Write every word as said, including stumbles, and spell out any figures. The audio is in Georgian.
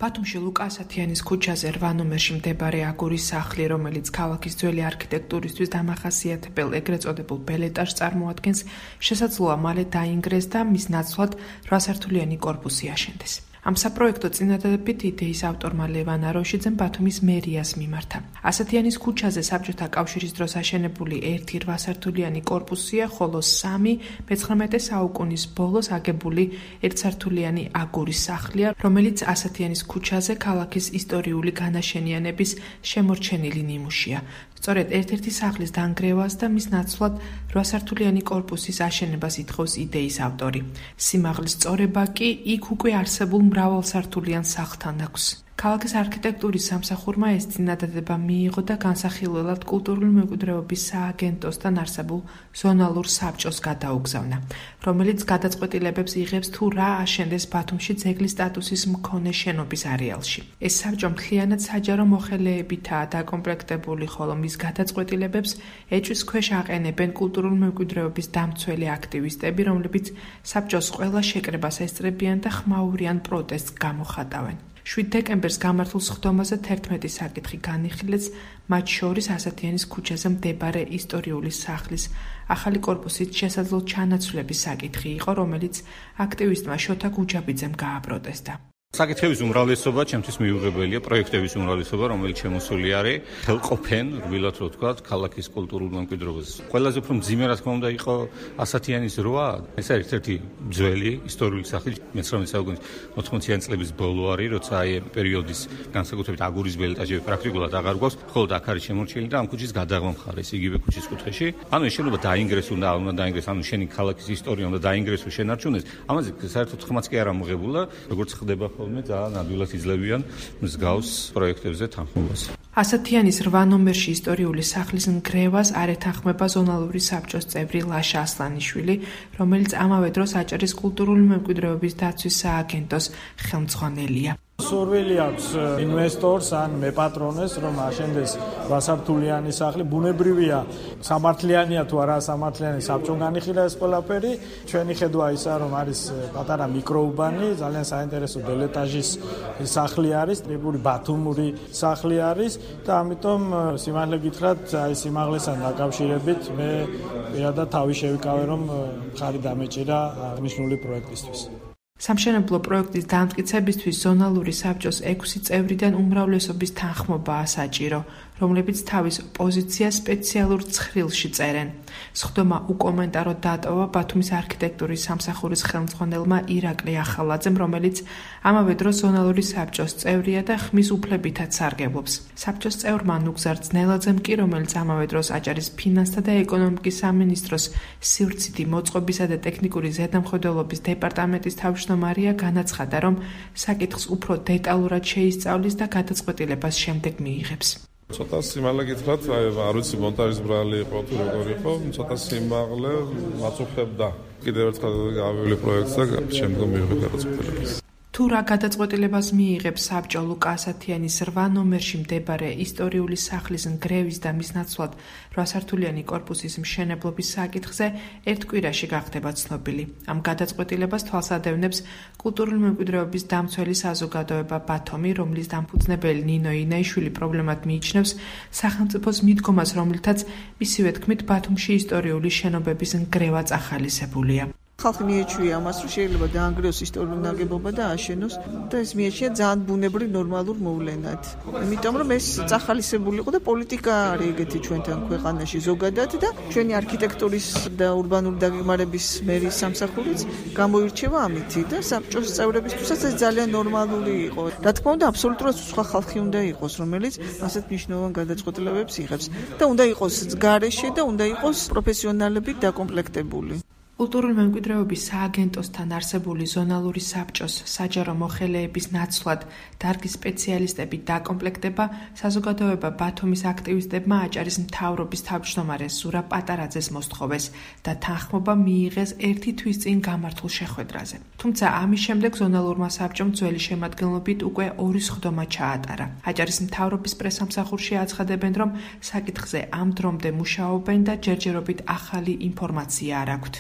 ბათუმში ლუკა ასათიანის ქუჩაზე რვა ნომერში მდებარე აგურის სახლი, რომელიც ქალაქის ძველი არქიტექტურისთვის დამახასიათებელ ეგრეთ წოდებულ ბელეტაჟს წარმოადგენს, შესაძლოა მალე დაინგრეს და მის ნაცვლად რვასართულიანი კორპუსი აშენდეს. ამ საპროექტო წინადადებით იდეის ავტორმა ლევან აროშიძემ ბათუმის მერიას მიმართა. ასათიანის ქუჩაზე საბჭოთა კავშირის დროს აშენებული ერთი რვასართულიანი კორპუსია, ხოლო სამი მეცხრამეტე საუკუნის ბოლოს აგებული ერთსართულიანი აგურის სახლია, რომელიც ასათიანის ქუჩაზე ქალაქის ისტორიული განაშენიანების შემორჩენილი ნიმუშია. სწორედ ერთ-ერთი სახლის დანგრევას და მის ნაცვლად რვასართულიანი კორპუსის აშენებას ითხოვს იდეის ავტორი. სიმაღლის სწორება კი იქ უკვე არსებულ მრავალსართულიან სახლთან აქვს. ქალაქის არქიტექტურის სამსახურმა ეს წინადადება მიიღო და განსახილველად კულტურული მემკვიდრეობის სააგენტოსთან არსებულ ზონალურ საბჭოს გადაუგზავნა, რომელიც გადაწყვეტილებებს იღებს თუ რა აშენდეს ბათუმში ძეგლის სტატუსის მქონე შენობის არეალში. ეს საბჭო მთლიანად საჯარო მოხელეებითაა დაკომპლექტებული, ხოლო მის გადაწყვეტილებებს ეჭვის ქვეშ აყენებენ კულტურული მემკვიდრეობის დამცველი აქტივისტები, რომლებიც საბჭოს ყველა შეკრებას ესწრებიან და ხმაურიან პროტესტს გამოხატავენ. შვიდ დეკემბერს გამართულ სხდომაზე თერთმეტი საკითხი განიხილეს, მათ შორის ასათიანის ქუჩაზე მდებარე ისტორიული სახლის ახალი კორპუსით შესაძლო ჩანაცვლების საკითხი იყო, რომელიც აქტივისტმა შოთა გუჯაბიძემ გააპროტესტა. საკითხების უმრავლესობა ჩემთვის მიუღებელია, პროექტების უმრავლესობა, რომელიც შემოსული არის, ხელყოფენ, რბილად რო ვთქვათ, ქალაქის კულტურულ მემკვიდრეობას. ყველაზე უფრო მძიმე რა თქმა უნდა იყო ასათიანის რვა. ეს არის ერთ-ერთი ძველი ისტორიული სახლი, მეცხრამეტე საუკუნის ოთხმოციანი წლების ბოლო არის, როცა აი პერიოდის განსაკუთრებით აგურის ბელეტაჟები პრაქტიკულად აღარ გვაქვს, ხოლო აქ არის შემორჩენილი და ამ ქუჩის გადაღმა მხარეს, იგივე ქუჩის კუთხეში. ანუ ეს შენობა დაინგრეს უნდა, უნდა დაინგრეს, ანუ შენი ქალაქის ისტორია უნდა დაინგრესო, შენარჩუნდეს. ამაზე საერთოდ ხმაც კი არ ამოღებულა, როგორც ხდება ხოლმე ძალიან ადვილად იძლევიან მსგავს პროექტებზე თანხმობას. ასათიანის რვა ნომერში ისტორიული სახლის ნგრევას არ ეთანხმება ზონალური საბჭოს წევრი ლაშა ასლანიშვილი, რომელიც ამავე დროს აჭარის კულტურული მემკვიდრეობის დაცვის სააგენტოს ხელმძღვანელია. სურვილი აქვს ინვესტორს ან მეპატრონეს, რომ აშენდეს რვასართულიანი სახლი. ბუნებრივია, სამართლიანია თუ არა სამართლიანი, საბჭომ განიხილა ეს ყველაფერი. ჩვენი ხედვა ისა, რომ არის პატარა მიკროუბანი, ძალიან საინტერესო ბელეტაჟის სახლი არის, ტიპური ბათუმური სახლი არის და ამიტომ სიმართლე გითხრათ, აი სიმაღლესთან დაკავშირებით მე პირადად თავი შევიკავე, რომ მხარი დამეჭირა აღნიშნული პროექტისთვის. სამშენებლო პროექტის დამტკიცებისთვის ზონალური საბჭოს ექვსი წევრიდან უმრავლესობის თანხმობაა საჭირო, რომლებიც თავის პოზიციას სპეციალურ ცხრილში წერენ. სხდომა უკომენტაროდ დატოვა ბათუმის არქიტექტურის სამსახურის ხელმძღვანელმა ირაკლი ახალაძემ, რომელიც ამავე დროს ზონალური საბჭოს წევრია და ხმის უფლებითაც სარგებლობს. საბჭოს წევრმა ნუგზარ ძნელაძემ კი, რომელიც ამავე დროს აჭარის ფინანსთა და ეკონომიკის სამინისტროს სივრცითი მოწყობისა და ტექნიკური ზედამხედველობის დეპარტამენტის თავმჯდომარეა, განაცხადა, რომ საკითხს უფრო დეტალურად შეისწავლის და გადაწყვეტილებას შემდეგ მიიღებს. ცოტა სიმაღლე გითხრათ, არ ვიცი მონტაჟის ბრალი იყო თუ როგორ იყო, ცოტა სიმაღლე მაწუხებდა. კიდევ ერთხელ გავივლი პროექტს და შემდგომ მივიღე გადაწყვეტილებას. თუ რა გადაწყვეტილებას მიიღებს საბჭო ლუკა ასათიანის რვა ნომერში მდებარე ისტორიული სახლის ნგრევის და მის ნაცვლად რვასართულიანი კორპუსის მშენებლობის საკითხზე ერთ კვირაში გახდება ცნობილი. ამ გადაწყვეტილებას თვალს ადევნებს კულტურული მემკვიდრეობის დამცველი საზოგადოება ბათუმი, რომლის დამფუძნებელი ნინო ინაიშვილი პრობლემად მიიჩნევს სახელმწიფოს მიდგომას, რომლითაც მისივე თქმით ბათუმში ისტორიული შენობების ნგრევა წახალისებულია. ხალხი მიეჩვია ამას, რომ შეიძლება დაანგრიოს ისტორიული ნაგებობა და აშენოს და ეს მიეჩვია ძალიან ბუნებრივ ნორმალურ მოვლენად. იმიტომ რომ ეს წახალისებული იყო და პოლიტიკა არის ეგეთი ჩვენთან ქვეყანაში ზოგადად და ჩვენი არქიტექტურის და ურბანული დაგეგმარების მერის სამსახურიც გამოირჩევა ამითი და საბჭოს წევრებისთვისაც ეს ძალიან ნორმალური იყო. რა თქმა უნდა, აბსოლუტურად სხვა ხალხი უნდა იყოს, რომელიც ასეთ მნიშვნელოვან გადაწყვეტილებებს იღებს და უნდა იყოს გარეშე და უნდა იყოს პროფესიონალებით დაკომპლექტებული. კულტურული მემკვიდრეობის სააგენტოსთან არსებული ზონალური საბჭოს საჯარო მოხელეების ნაცვლად დარგის სპეციალისტები დაკომპლექტება საზოგადოება ბათუმის აქტივისტებმა აჭარის მთავრობის თავმჯდომარეს ზურაბ პატარაძეს მოსთხოვეს და თანხმობა მიიღეს ერთი თვის წინ გამართულ შეხვედრაზე. თუმცა ამის შემდეგ ზონალურმა საბჭომ ძველი შემადგენლობით უკვე ორი სხდომა ჩაატარა. აჭარის მთავრობის პრესამსახურში აცხადებენ, რომ საკითხზე ამ დრომდე მუშაობენ და ჯერჯერობით ახალი ინფორმაცია არ აქვთ.